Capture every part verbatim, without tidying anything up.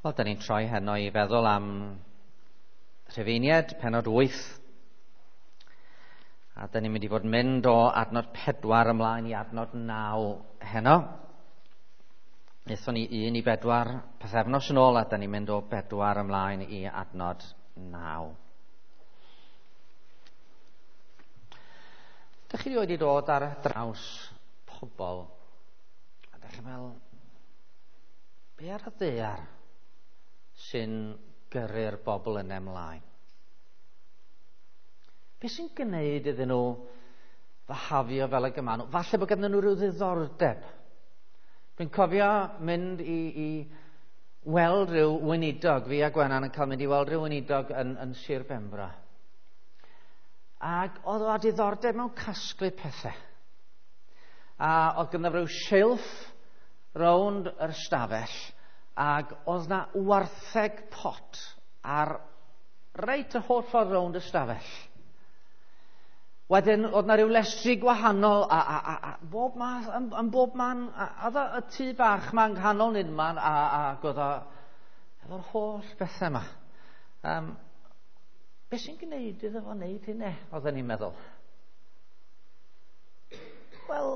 Wel, da ni'n troi heno i feddwl am Rhufeiniaid, pennod wyth. A da ni'n mynd i fod yn mynd o adnod pedwar ymlaen i adnod naw heno. Nethon ni un i bedwar pythefnos yn ôl, a da ni'n mynd o bedwar ymlaen i adnod naw. Dych chi wedi dod ar draws pobl, a dych chi'n meddwl, be ar y ddaear sy'n gyrru'r bobl yn ymlaen? Be sy'n gwneud iddyn nhw fahafio fel y gyma nhw? Falle bod ganddyn nhw rhyw ddiddordeb. Dwi'n cofio mynd i, i weld rhyw weinidog, fi a Gwenan yn cael mynd i weld rhyw weinidog yn, yn Sir Benfro. Ac oedd o â diddordeb mewn casglu pethau. A oedd ganddo rhyw silff rownd yr ystafell, ac oedd na wartheg pot ar reit y holl ffordd rownd y stafell. Wedyn, oedd na ryw lestri gwahanol a, a, a, a bob math, yn, yn bob man, a, a oedd y tŷ bach ma yng nghanol unman, a, ac oedd o efo'r holl bethau yma. Um, be sy'n gwneud iddo fo wneud hynny, oedden ni'n meddwl? Wel,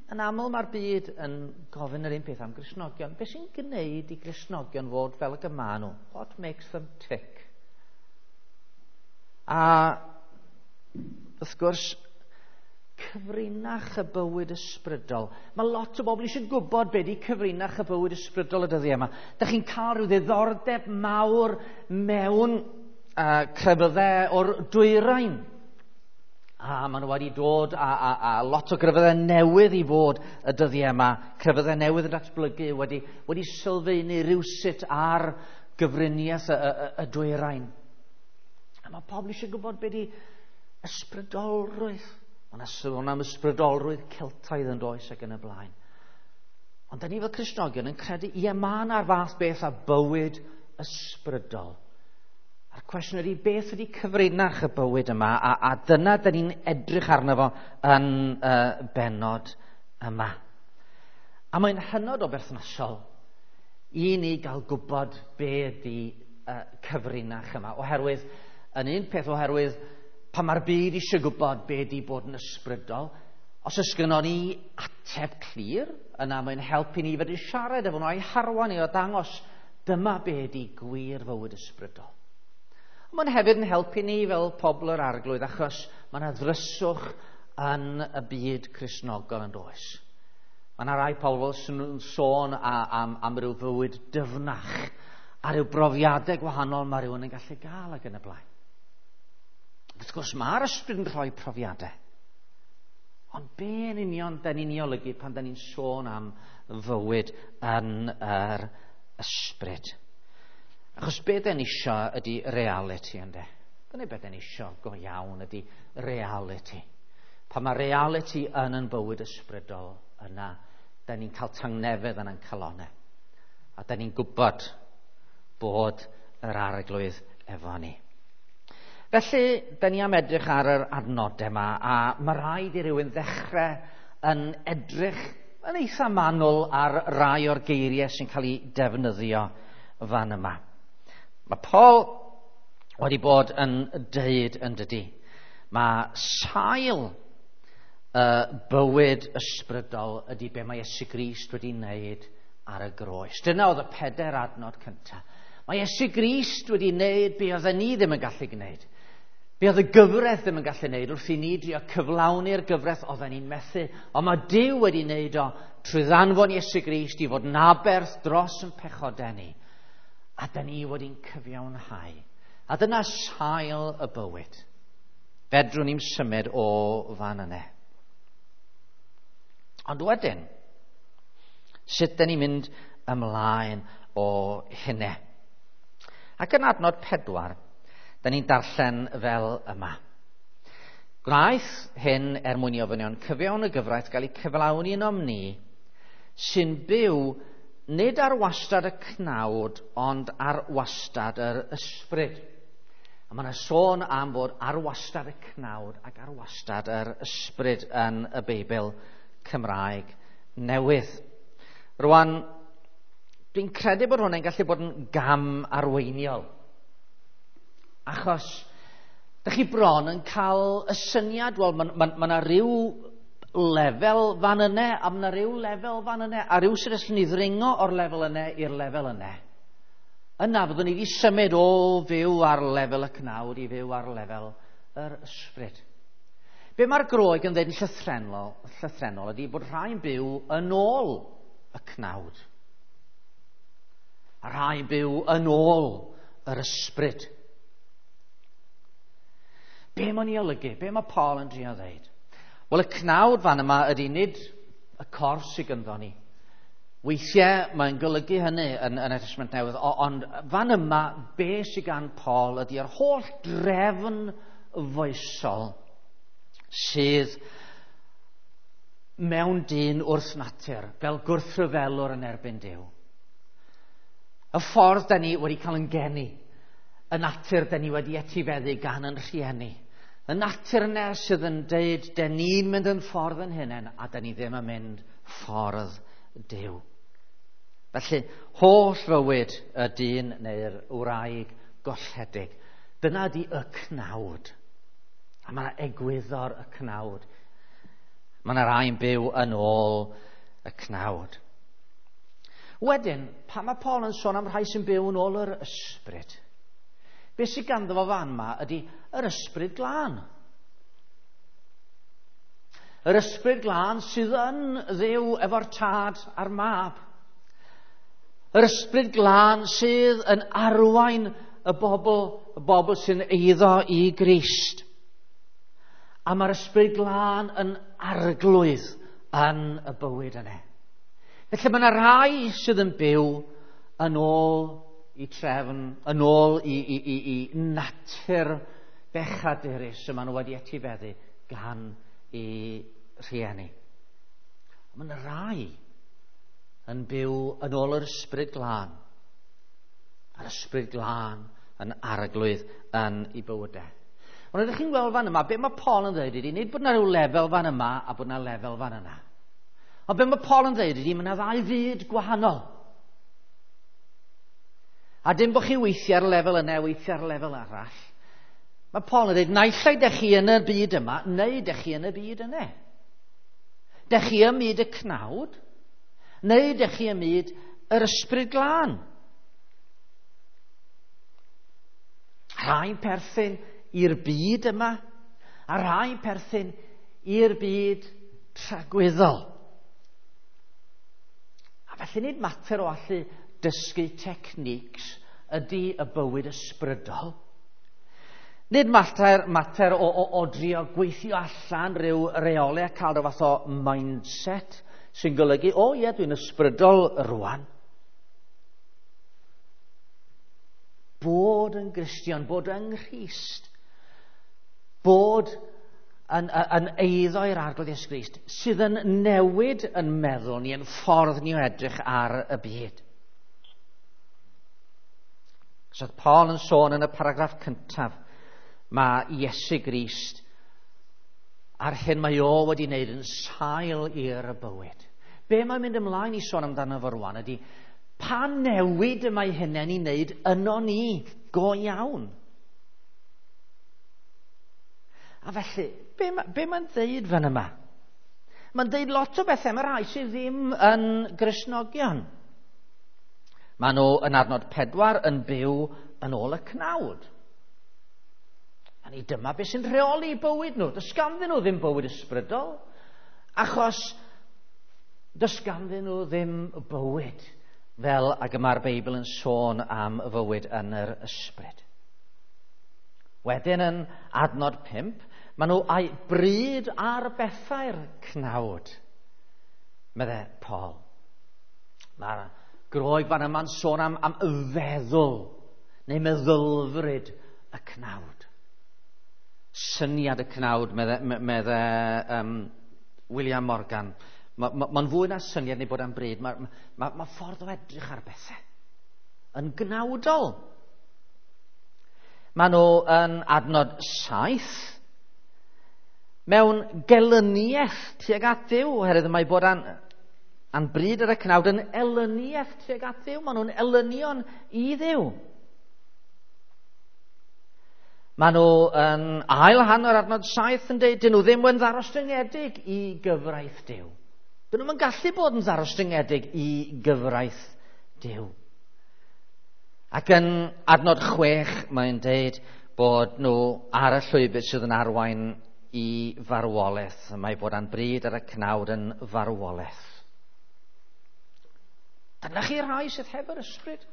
yn aml mae'r byd yn gofyn yr un peth am Gristnogion. Be sy'n gwneud i Gristnogion fod fel y gyma nhw? What makes them tick? A wrth gwrs, cyfrinach y bywyd ysbrydol. Mae lot o bobl eisiau gwybod be di cyfrinach y bywyd ysbrydol y dyddiau yma. Dych chi'n cael rhyw ddiddordeb mawr mewn uh, crefyddau o'r dwyrain. A maen nhw wedi dod a, a, a lot o grefyddau newydd i fod y dyddiau yma. Crefyddau newydd yn datblygu wedi, wedi sylfaenu rywsut ar gyfriniaeth y, y, y dwyrain. A mae pobl eisiau gwybod be di ysbrydolrwydd. Mae yna sôn am ysbrydolrwydd Celtaidd yn does ac yn y blaen. Ond da ni fel Cristnogion yn credu, ie, mae yna'r fath beth a bywyd ysbrydol. A'r cwestiwn ydy, beth ydy cyfrinach y bywyd yma? A, a dyna da ni'n edrych arno fo yn uh, bennod yma. A mae'n hynod o berthnasol i ni gael gwybod be ydy uh, cyfrinach yma. Oherwydd, yn un peth oherwydd, pan mae'r byd eisiau gwybod be ydy bod yn ysbrydol, os oes gynnon ni ateb clir, yna mae'n helpu ni fedru siarad efo nhw a'i harwain ni o dangos dyma be ydy gwir fywyd ysbrydol. Mae'n hefyd yn helpu ni fel pobl yr Arglwydd, achos mae yna ddryswch yn y byd Cristnogol yn does. Mae yna rai pobl sy'n sôn am, am ryw fywyd dyfnach a ryw brofiadau gwahanol mae rhywun yn gallu gael ac yn y blaen. Wrth gwrs, mae'r ysbryd yn rhoi profiadau. Ond be yn union da ni'n ei olygu pan da ni'n sôn am fywyd yn yr ysbryd? Achos be da ni isio ydy reality, ynde? Dyna be da ni isio go iawn ydy reality. Pan mae reality yn yn bywyd ysbrydol yna, da ni'n cael tangnefedd yn ein calonau. A da ni'n gwybod bod yr Arglwydd efo ni. Felly, da ni am edrych ar yr adnodau yma, a mae rhaid i rywun ddechrau yn edrych yn eitha manwl ar rai o'r geiriau sy'n cael eu defnyddio fan yma. Mae Paul wedi bod yn deud yn dydy. Mae sail y bywyd ysbrydol ydy be mae Iesu Grist wedi wneud ar y groes. Dyna oedd y pedair adnod cyntaf. Mae Iesu Grist wedi wneud be oedden ni ddim yn gallu gwneud. Be oedd y gyfraith ddim yn gallu wneud wrth i ni drio cyflawni'r gyfraith oedden ni'n methu. Ond mae Duw wedi wneud o trwy ddanfon Iesu Grist i fod yn aberth dros yn pechodau ni. A da ni wedi'n cyfiawnhau. A dyna sail y bywyd. Fedrwn ni'n symud o fan yna. Ond wedyn, sut da ni'n mynd ymlaen o hynny? Ac yn adnod pedwar, da ni'n darllen fel yma. Gwnaeth hyn er mwyn i ofynion cyfiawn y gyfraith gael eu cyflawni ynom ni, sy'n byw nid ar wastad y cnawd, ond ar wastad yr ysbryd. A mae yna sôn am fod ar wastad y cnawd ac ar wastad yr ysbryd yn y Beibl Cymraeg newydd. Rwan, Dwi'n credu bod hwnna'n gallu bod yn gam arweiniol. Achos, dych chi bron yn cael y syniad, wel, mae ma, ma 'na ryw lefel fan yne, a mae 'na ryw lefel fan yne, a ryw sydd allwn ni ddringo o'r lefel yne i'r lefel yne. Yna fyddwn ni wedi symud o fyw ar lefel y cnawd i fyw ar lefel yr ysbryd. Be mae'r Groeg yn dweud yn llythrennol, llythrennol ydy bod rhai'n byw yn ôl y cnawd. A rhai'n byw yn ôl yr ysbryd. Be mae'n ei olygu? Be mae Paul yn drio ddeud? Wel, y cnawd fan yma ydy nid y corff sydd gynddo ni. Weithiau mae'n golygu hynny yn, yn y Testament Newydd, ond fan yma, be sydd gan Paul ydy yr holl drefn foesol sydd mewn dyn wrth natur, fel gwrthryfelwr yn erbyn Duw. Y ffordd da ni wedi cael yn geni, y natur da ni wedi etifeddu gan yn rhieni, y natur yna sydd yn deud, da ni'n mynd yn ffordd yn hunain, a da ni ddim yn mynd ffordd Duw. Felly, holl fywyd y dyn neu'r wraig golledig, dyna di y cnawd. A mae yna egwyddor y cnawd. Mae yna rai'n byw yn ôl y cnawd. Wedyn, pan mae Paul yn sôn am rhai sy'n byw yn ôl yr ysbryd, beth sydd ganddo fo fan yma ydy yr ysbryd glân. Yr ysbryd glân sydd yn Dduw efo'r tad a'r mab. Yr ysbryd glân sydd yn arwain y bobl, y bobl sy'n eiddo i Grist. A mae'r ysbryd glân yn arglwydd yn y bywyd yna. Felly mae yna rai sydd yn byw yn ôl i trefn, yn ôl i, i, i, i natur bechadurus y maen nhw wedi etifeddu gan i rhieni. Mae yna rai yn byw yn ôl yr ysbryd glân. A'r ysbryd glân yn arglwydd yn ei bywydau. Ond ydych chi'n gweld fan yma, be mae Paul yn dweud ydy, nid bod yna rhyw lefel fan yma a bod yna lefel fan yna. Ond be mae Paul yn dweud ydy, mae yna ddau fyd gwahanol. A dim bod chi weithio ar lefel yna, weithio ar lefel arall. Mae Paul yn dweud, naill ai dych chi yn y byd yma, neu dych chi yn y byd yna. Dych chi ym myd y cnawd, neu dych chi ym myd yr ysbryd glân. Rhai'n perthyn i'r byd yma, a rhai'n perthyn i'r byd tragwyddol. A felly nid mater o allu dysgu techniques ydy y bywyd ysbrydol. Nid mater, mater o, o, o drio gweithio allan rhyw reolau a cael rhyw fath o mindset sy'n golygu, o ie, dwi'n ysbrydol rwan. Bod yn Gristion, bod yng Nghrist, bod yn, yn eiddo i'r Arglwydd Iesu Grist, sydd yn newid yn meddwl ni, yn ffordd ni o edrych ar y byd. So oedd Paul yn sôn yn y paragraff cyntaf, mae Iesu Grist a'r hyn mae o wedi wneud yn sail i'r bywyd. Be mae'n mynd ymlaen i sôn amdano fo rwan ydy, pa newid y mae hynny'n ei wneud yno ni go iawn? A felly, be, ma, be mae'n dweud fan yma? Mae'n dweud lot o bethau, mae rhai sydd ddim yn Gristnogion. Maen nhw yn adnod pedwar yn byw yn ôl y cnawd. A ni dyma beth sy'n rheoli bywyd nhw. Does ganddyn nhw ddim bywyd ysbrydol, achos does ganddyn nhw ddim bywyd fel ag y mae'r Beibl yn sôn am y fywyd yn yr ysbryd. Wedyn yn adnod pump, maen nhw a'u bryd ar bethau'r cnawd, meddai Paul. Mae'r Groeg fan yma'n sôn am, am feddwl, neu meddylfryd y cnawd. Syniad y cnawd, medde, medde um, William Morgan. Mae'n ma, ma fwy na syniad neu bod am bryd. Mae ma, ma ffordd o edrych ar bethau yn gnawdol. Maen nhw yn adnod saith mewn gelyniaeth tuag at Dduw, oherwydd mae bod an, A'n bryd ar y cnawd yn elyniaeth tuag at Dduw. Maen nhw'n elynion i Dduw. Maen nhw yn ail hanner adnod saith yn dweud, dyn nhw ddim yn ddarostyngedig i gyfraith Duw. Dyn nhw'n gallu bod yn ddarostyngedig i gyfraith Duw. Ac yn adnod chwech mae'n dweud bod nhw ar y llwybr sydd yn arwain i farwolaeth. Mae bod a'n bryd ar y cnawd yn farwolaeth. Dyna chi rai sydd heb yr ysbryd.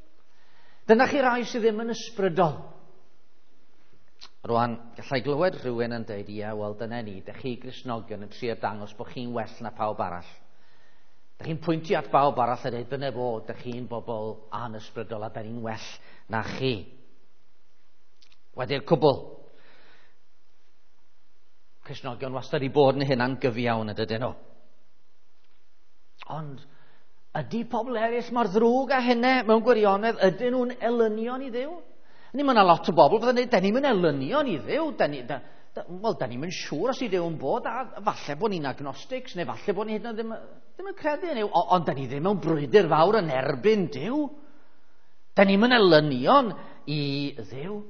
Dyna chi rai sydd ddim yn ysbrydol. Rwan, gallai glywed rhywun yn dweud, ie, wel dyna ni, dych chi Gristnogion yn trio dangos bod chi'n well na pawb arall. Dych chi'n pwyntio at bawb arall a dweud, dyna fo, dych chi'n bobl anysbrydol a da ni'n well na chi. Wedi'r cwbl, Cristnogion wastad i bod yn hynna'n gyfiawn yn dydyn nhw. Ond ydy pobl eraill mor ddrwg â hynny mewn gwirionedd? Ydyn nhw'n elynion i Dduw? Ni, mae yna lot o bobl fydda'n dweud, da ni'n mynd elynion i Dduw. Da ni, da, da, wel, da ni'n mynd siŵr os i Dduw yn bod, a falle bod ni'n agnostics, neu falle bod ni hyd yn oed ddim, ddim yn credu yn Duw, ond da ni ddim mewn brwydr fawr yn erbyn Duw. Da ni'n mynd elynion i Dduw.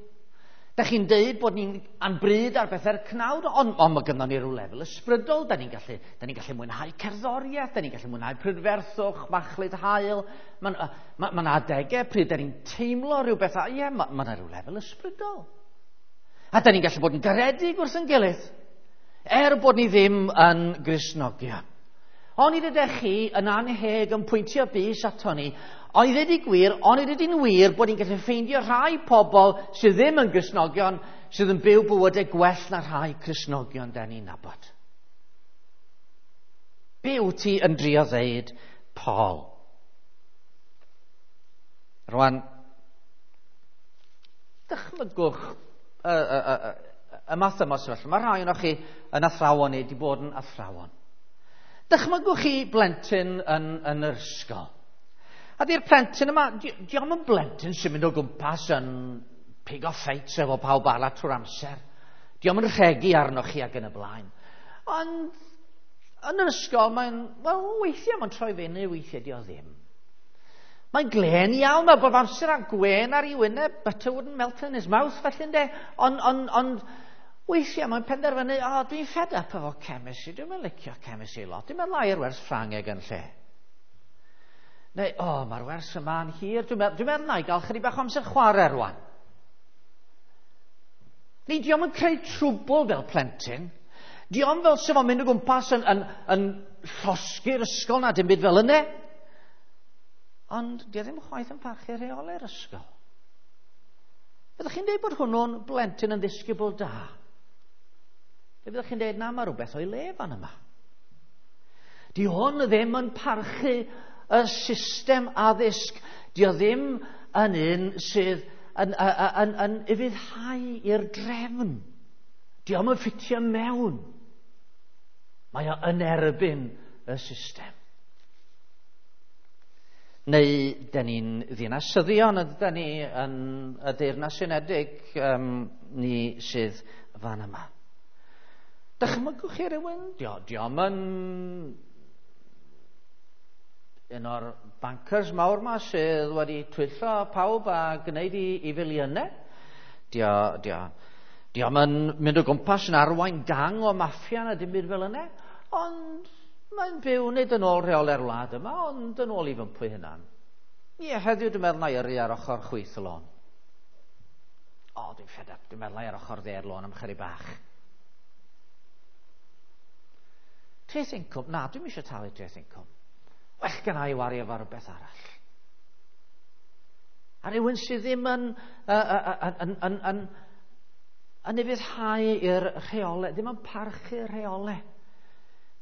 Da chi'n deud bod ni'n anbryd ar bethau'r cnawd, ond, ond mae gynnon ni ryw lefel ysbrydol. Da ni'n gallu, da ni'n gallu mwynhau cerddoriaeth, da ni'n gallu mwynhau prydferthwch, machlud haul. Mae'n ma, ma adegau pryd da ni'n teimlo rhyw beth, a ie, mae ma yna rhyw lefel ysbrydol. A da ni'n gallu bod yn garedig wrth yn gilydd, er bod ni ddim yn Gristnogion. Ond i ddydych chi yn anheg yn pwyntio bys ato ni, ond i ddweud i gwir, ond i ddweud i'n wir bod ni'n gallu ffeindio rhai pobl sydd ddim yn Gristnogion sydd yn byw bywydau gwell na rhai Cristnogion da ni'n nabod. Be wyt ti yn drio ddeud, Paul? Rwan, dychmygwch y, y, y, y, y math yma o sefyllfa. Mae rhai ohonoch chi yn athrawon neu wedi bod yn athrawon. Dychmygwch chi blentyn yn, yn yr ysgol. A di'r plentyn yma, di, di o'm yn blentyn sy'n mynd o gwmpas yn pigo ffeit efo pawb arall trwy'r amser. Di o'm yn rhegi arnoch chi ac yn y blaen. Ond yn yr ysgol mae'n, wel, weithiau mae'n troi fyny, weithiau di o ddim. Mae'n glên iawn, mae bob amser â gwên ar ei wyneb, butter wouldn't melt in his mouth, felly ynde. Ond, ond, ond weithiau mae'n penderfynu, o, oh, dwi'n fed up efo chemistry, dwi'n mynd licio chemistry lot, dwi'n meddwl ai'r wers Ffrangeg yn lle. Neu, o, oh, mae'r wers yma'n hir, dwi'n meddwl, dwi'n meddwl na i gael chydig bach o amser chwarae rwan. Ni, di o'm yn creu trwbl fel plentyn. Di o'm fel sef o'n mynd o gwmpas yn, yn, yn llosgi'r ysgol na dim byd fel yna. Ond di o ddim chwaith yn parchu rheolau'r ysgol. Fyddwch chi'n dweud bod hwnnw'n blentyn yn ddisgybl da? Neu fyddwch chi'n dweud, na, mae rhywbeth o'i le fan yma. Di hwn ddim yn parchu y system addysg. Di o ddim yn un sydd yn, yn, yn, yn ufuddhau i'r drefn. Di o'm yn ffitio mewn. Mae o yn erbyn y system. Neu, dyn ni'n ddinasyddion, ydyn ni yn y Deyrnas Unedig, um, ni sydd fan yma. Dychmygwch chi rhywun? Dio, dio'm yn un o'r bankers mawr ma sydd wedi twyllo pawb a gwneud i, i filiynau. Dio, dio, dio'm yn mynd o gwmpas yn arwain gang o maffia na dim byd fel yna, ond mae'n byw nid yn ôl rheolau'r wlad yma, ond yn ôl i fympwy hunan. Ie, heddiw dwi'n meddwl na i yrru ar ochr chwith y lôn. O, dwi'n fed up, dwi'n meddwl na i ar ochr dde'r lôn am chydig bach. Treth incwm? Na, dwi'm eisiau talu treth incwm. Well gen i wario efo rhywbeth arall. A rhywun sydd ddim yn, yn, yn, yn, yn, yn ufuddhau i'r rheolau, ddim yn parchu'r rheolau.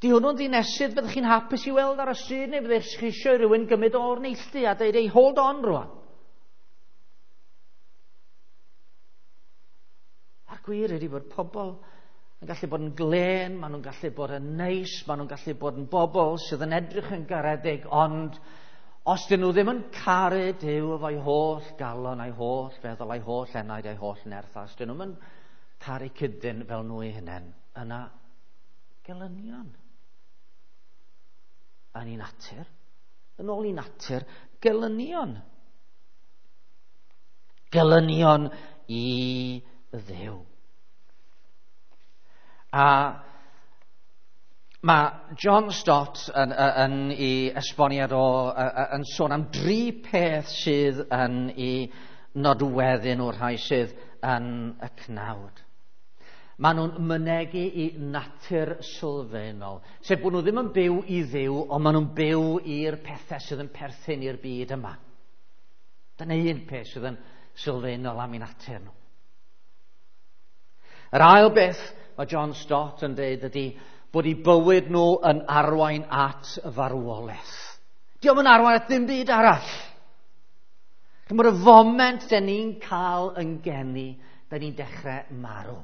Di hwnnw'n ddinesydd fyddwch chi'n hapus i weld ar y stryd, neu fyddwch chi eisiau rhywun gymryd o'r neilltu a dweud, ei, hold on rwan. A'r gwir ydy bod pobl yn gallu bod yn glên, maen nhw'n gallu bod yn neis, maen nhw'n gallu bod yn bobl sydd yn edrych yn garedig, ond os dyn nhw ddim yn caru Duw efo'i holl galon, a'i holl feddwl, a'i holl enaid, a'i holl nerth, os dyn nhw'n caru cydyn fel nhw eu hunain, yna gelynion. yn ei natur, yn ôl ei natur, gelynion. Gelynion i Dduw. A mae John Stott yn, yn, yn ei esboniad o, yn sôn am dri peth sydd yn ei nodweddu nhw'r rhai sydd yn y cnawd. Maen nhw'n mynegi i natur sylfaenol, sef bod nhw ddim yn byw i Dduw, ond maen nhw'n byw i'r pethau sydd yn perthyn i'r byd yma. Dyna un peth sydd yn sylfaenol am eu natur nhw. Yr ail beth mae John Stott yn dweud ydy bod eu bywyd nhw yn arwain at farwolaeth. Dio'm yn arwain at ddim byd arall. Chimod, y foment den ni'n cael yn geni, den ni'n dechrau marw.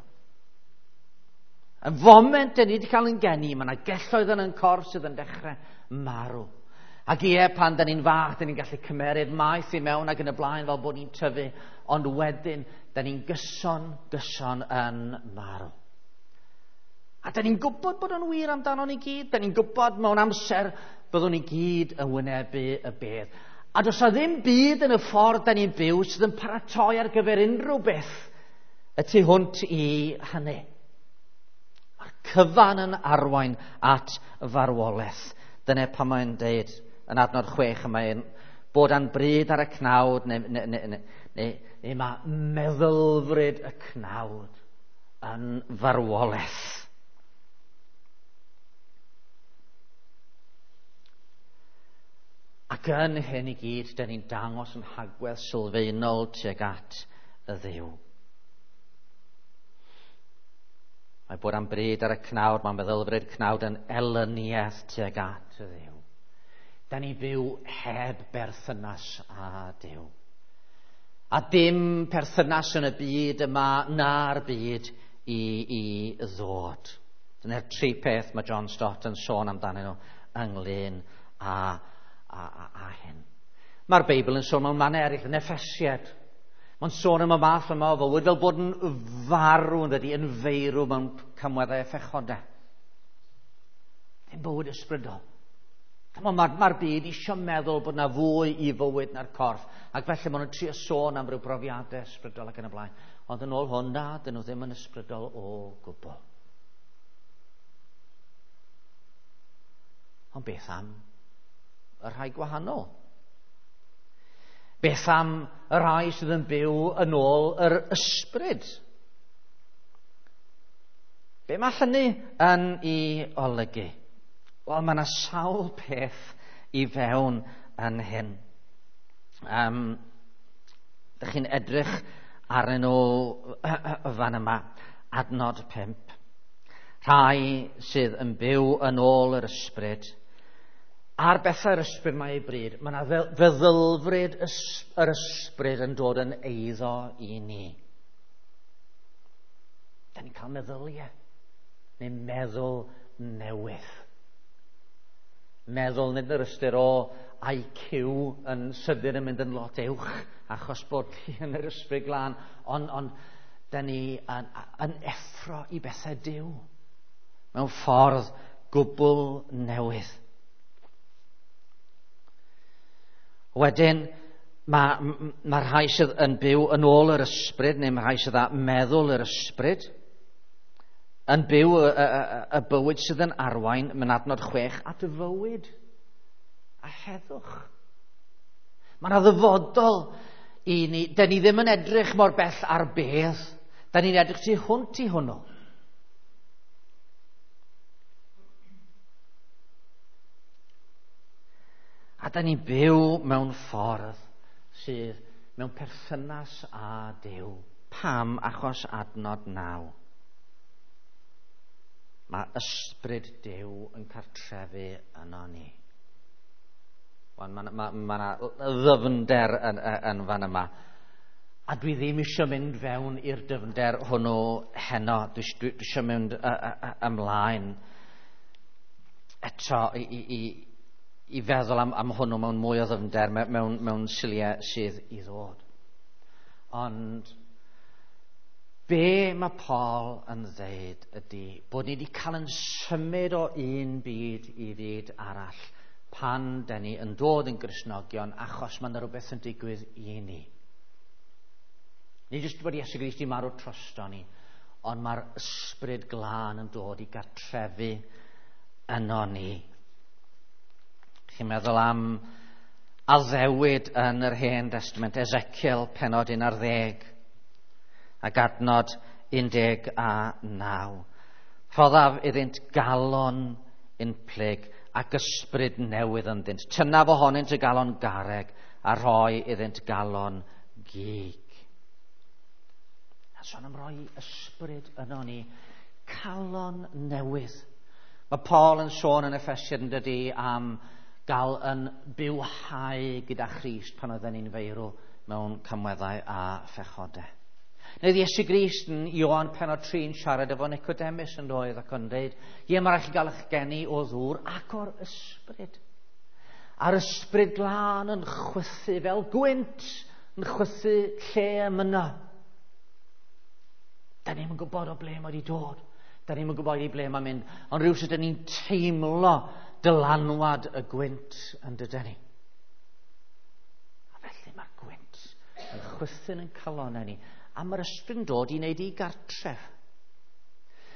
Y foment den ni wedi cael yn geni, mae yna gelloedd yn ein corff sydd yn dechrau marw. Ac ie, pan den ni'n fach, den ni'n gallu cymeryd maeth i mewn ac yn y blaen fel bod ni'n tyfu, ond wedyn, den ni'n gyson, gyson yn marw. A den ni'n gwybod bod o'n wir amdano ni gyd. Den ni'n gwybod mewn amser byddwn ni gyd yn wynebu y bedd. A does 'na ddim byd yn y ffordd den ni'n byw sydd yn paratoi ar gyfer unrhyw beth y tu hwnt i hynny. Mae'r cyfan yn arwain at farwolaeth. Dyna pan mae'n deud yn adnod chwech, mae'n bod a'n bryd ar y cnawd, neu, neu, neu, neu, neu, neu mae meddylfryd y cnawd yn farwolaeth. Ac yn hyn i gyd, dyn ni'n dangos yn hagwedd sylfaenol tuag at y Dduw. Mae bod am bryd ar y cnawd, mae'n meddylfryd cnawd yn elyniaeth tuag at y Dduw. Da ni byw heb berthynas â Duw. A dim perthynas yn y byd yma na'r byd i, i ddod. Dyna'r tri peth mae John Stott yn sôn amdanyn nhw ynglyn â, a, a, a hyn. Mae'r Beibl yn sôn mewn mannau eraill, yn Effesiad. Mae'n sôn am y math yma o fywyd fel bod yn farw yn dydi, yn feirw mewn camweddau a phechodau. Ddim bywyd ysbrydol. Mae'r ma, ma byd eisiau meddwl bod yna fwy i fywyd na'r corff, ac felly maen nhw'n trio sôn am ryw brofiadau ysbrydol ac yn y blaen. Ond yn ôl hwn, na, dyn nhw ddim yn ysbrydol o gwbl. Ond beth am y rhai gwahanol? Beth am y rhai sydd yn byw yn ôl yr ysbryd? Be mae hynny yn ei olygu? Wel, mae yna sawl peth i fewn yn hyn. Um, dych chi'n edrych arnyn nhw fan yma, adnod pump. Rhai sydd yn byw yn ôl yr ysbryd. Ar bethau'r ysbryd mae ei bryd. Mae yna feddylfryd yr ysbryd yn dod yn eiddo i ni. Da ni'n cael meddyliau, neu meddwl newydd. Meddwl nid yr ystyr o I Q yn sydyn yn mynd yn lot uwch achos bod chi yn yr ysbryd glân, ond on, da ni yn, yn effro i bethau Duw mewn ffordd gwbl newydd. Wedyn, mae ma rhai sydd yn byw yn ôl yr ysbryd, neu mae rhai sydd â meddwl yr ysbryd, yn byw y, y, y, y bywyd sydd yn arwain, mewn adnod chwech, at y fywyd a heddwch. Mae yna ddyfodol i ni. Da ni ddim yn edrych mor bell ar beth. Da ni'n edrych tu hwnt i hwnnw. A da ni'n byw mewn ffordd sydd mewn perthynas â Duw. Pam? Achos adnod naw. Mae ysbryd Duw yn cartrefu yno ni. Mae ma, ma, ma 'na ddyfnder yn, yn fan yma. A dwi ddim eisiau mynd fewn i'r dyfnder hwnnw heno. Dwi, dwi, dwi eisiau mynd y, y, y, ymlaen eto i, i, i, i feddwl am, am hwnnw mewn mwy o ddyfnder, mewn, mewn siliau sydd i ddod. Ond be mae Paul yn ddeud ydy bod ni wedi cael yn symud o un byd i fyd arall pan da ni yn dod yn Gristnogion, achos mae yna rhywbeth yn digwydd i ni. Nid jyst bod Iesu Grist i marw trosto ni, ond mae'r Ysbryd Glân yn dod i gartrefu yno ni. Chi'n meddwl am addewid yn yr Hen Destament, Ezekiel pennod un ar ddeg ac adnod un deg a naw. Rhoddaf iddynt galon unplyg ac ysbryd newydd ynddynt. Tynnaf ohonynt y galon garreg a rhoi iddynt galon gig. A sôn am roi ysbryd yno ni, calon newydd. Mae Paul yn sôn yn Effesiaid yn dydy am gael yn bywhau gyda Christ pan oedden ni'n feirw mewn camweddau a phechodau. Neu Iesu Grist yn Ioan pennod tri yn siarad efo Nicodemus yn doedd ac yn dweud, ie, mae rhaid chi gael eich geni o ddŵr ac o'r ysbryd. A'r Ysbryd Glân yn chwythu fel gwynt, yn chwythu lle y mynno. Da ni'm yn gwybod o ble mae wedi dod. Da ni'm yn gwybod i ble mae'n mynd. Ond rhywsut da ni'n teimlo dylanwad y gwynt yn dydyn ni. A felly mae'r gwynt yn chwythu'n yn calonau ni. A mae'r ysbryd yn dod i wneud i gartref.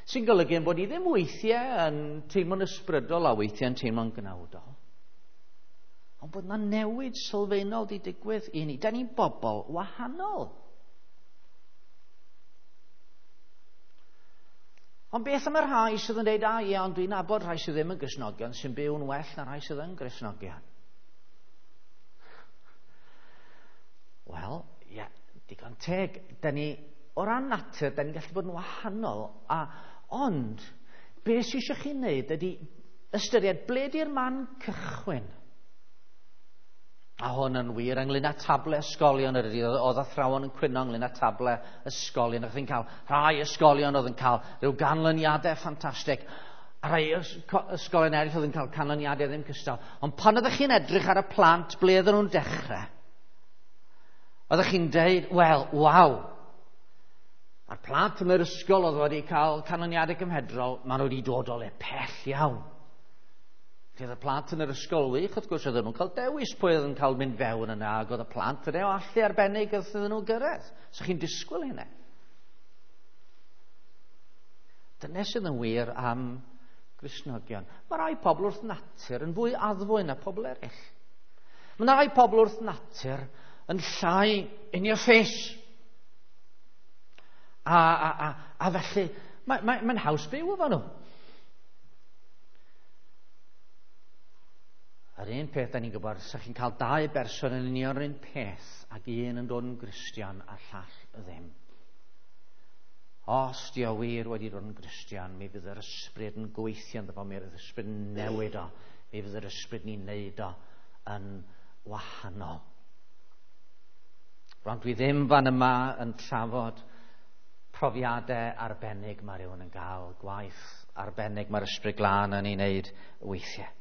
Sy'n golygu yn bod ni ddim weithiau yn teimlo'n ysbrydol a weithiau yn teimlo'n gnawdol. Ond bod yna newid sylfaenol di digwydd i ni. Da ni'n bobl wahanol. Ond beth am y rhai sydd yn dweud, a ie, ond dwi'n nabod rhai sydd ddim yn Gristnogion sy'n byw'n well na rhai sydd yn Gristnogion. Wel, ie, digon teg. Da ni, o ran natur, da ni'n gallu bod yn wahanol. A, ond, beth sydd eisiau chi wneud ydy ystyried ble di'r man cychwyn. A hwn yn wir ynglyn â table ysgolion yr ydy, oedd athrawon yn cwyno ynglyn â table ysgolion. O'ch chi'n cael rhai ysgolion oedd yn cael rhyw ganlyniadau ffantastig, a rhai ysgolion eraill oedd yn cael canlyniadau ddim cystal. Ond pan oeddech chi'n edrych ar y plant, ble oedden nhw'n dechrau? Oeddech chi'n deud, wel, waw, a'r plant yn yr ysgol oedd wedi cael canlyniadau cymhedrol, maen nhw wedi dod o le pell iawn. Felly oedd y plant yn yr ysgol wych, wrth gwrs, oedden nhw'n cael dewis pwy oedd yn cael mynd fewn yna, ac oedd y plant yna o allu arbennig oedd iddyn nhw gyrraedd. So chi'n disgwyl hynny. Dyna sydd yn wir am Gristnogion. Mae rai pobl wrth natur yn fwy addfwyn na pobl eraill. Mae rai pobl wrth natur yn llai in your face. A, a, a, a felly, mae'n mae, mae haws byw efo nhw. Yr un peth da ni'n gwybod, sa chi'n cael dau berson yn union yr un peth ac un yn dod yn Gristion a llall ddim. Os di o wir wedi dod yn Gristion, mi fydd yr ysbryd yn gweithio ynddo fo, mi fydd yr ysbryd yn newid o, mi fydd yr ysbryd ni'n neud o yn wahanol. Rwan dwi ddim fan yma yn trafod profiadau arbennig mae rhywun yn gael, gwaith arbennig mae'r Ysbryd Glân yn ei wneud weithiau.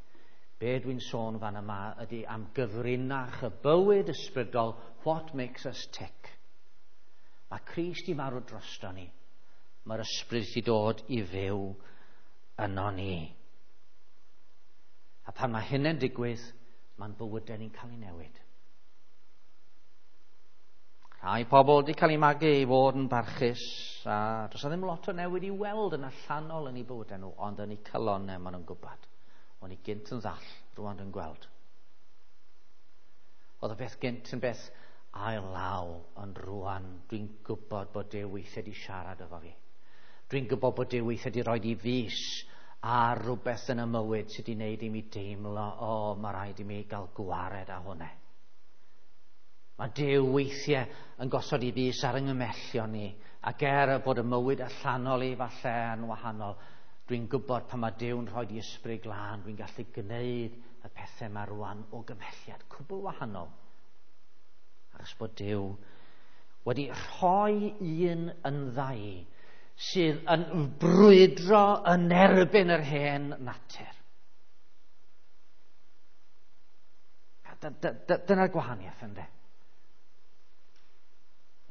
Be dwi'n sôn fan yma ydy am gyfrinach y bywyd ysbrydol, what makes us tick. Mae Crist i marw drosto ni. Mae'r ysbryd i dod i fyw yno ni. A pan mae hynny'n digwydd, mae'n bywydau ni'n cael ei newid. Rhai pobl wedi cael eu magu i fod yn barchus, a does 'na ddim lot o newid i weld yn allanol yn eu bywydau nhw, ond yn eu calonnau maen nhw'n gwybod. O'n i gynt yn ddall, rwan dwi'n gweld. Oedd y beth gynt yn beth ail law, ond rwan dwi'n gwybod bod Duw weithiau wedi siarad efo fi. Dwi'n gwybod bod Duw weithiau wedi rhoi i fys ar rhywbeth yn y mywyd sydd wedi gwneud i mi deimlo, o, oh, mae rhaid i mi gael gwared â hwnna. Mae Duw weithiau yn gosod i fys ar yng nghymellion ni, ac er bod y mywyd allanol i falle yn wahanol, dwi'n gwybod pan mae Duw'n rhoi i Ysbryd Glân, dwi'n gallu gwneud y pethau yma rwan o gymhelliad cwbl wahanol. Achos bod Duw wedi rhoi un yn ddau sydd yn brwydro yn erbyn yr hen natur. Dyna'r gwahaniaeth ynde.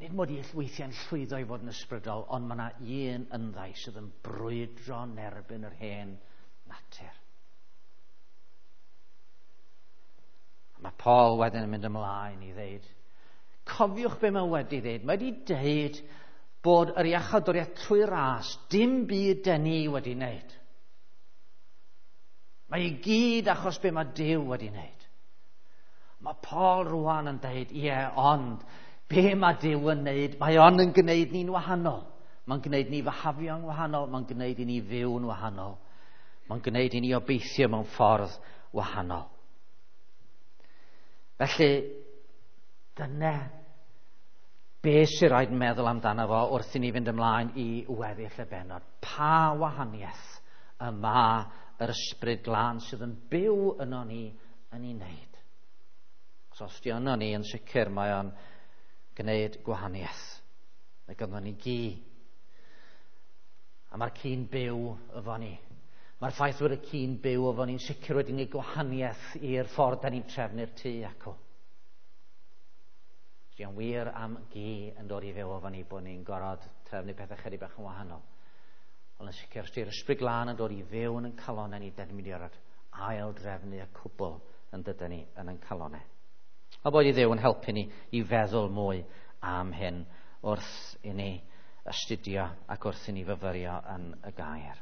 Nid mod i weithiau'n llwyddo i fod yn ysbrydol, ond mae yna un ynddau sydd yn brwydro yn erbyn yr hen natur. Paul wedyn yn mynd ymlaen i ddeud, cofiwch be mae wedi ddeud. Mae wedi deud bod yr iachawdwriaeth trwy ras, dim byd dyn ni wedi wneud. Mae i gyd achos be mae Duw wedi wneud. Mae Paul rwan yn deud, ie, ond be mae Duw yn wneud, mae o'n yn gwneud ni'n wahanol. Mae'n gwneud ni fyhafio'n wahanol, mae'n gwneud i ni fyw'n wahanol. Mae'n gwneud i ni obeithio mewn ffordd wahanol. Felly, dyna be sy'n rhaid meddwl amdano fo wrth i ni fynd ymlaen i weddill y bennod. Pa wahaniaeth y mae yr Ysbryd Glân sydd yn byw yno ni yn ei wneud? Os os di yno ni yn sicr mae o'n gwneud gwahaniaeth. Mae ganddo ni gi. A mae'r ci'n byw efo ni. Mae'r ffaith bod y ci'n byw efo ni'n sicr wedi gwneud gwahaniaeth i'r ffordd da ni'n trefnu'r tŷ acw. Di'n wir am gi yn dod i fyw efo ni bod ni'n gorfod trefnu pethau chydig bach yn wahanol. Ond yn sicr, os di'r Ysbryd Glân yn dod i fyw yn ein calonau ni, dyn ni'n mynd i orfod ail drefnu y cwbl yn dydyn ni yn ein calonau. A bod i Dduw yn helpu ni i feddwl mwy am hyn wrth i ni astudio ac wrth i ni fyfyrio yn y gair.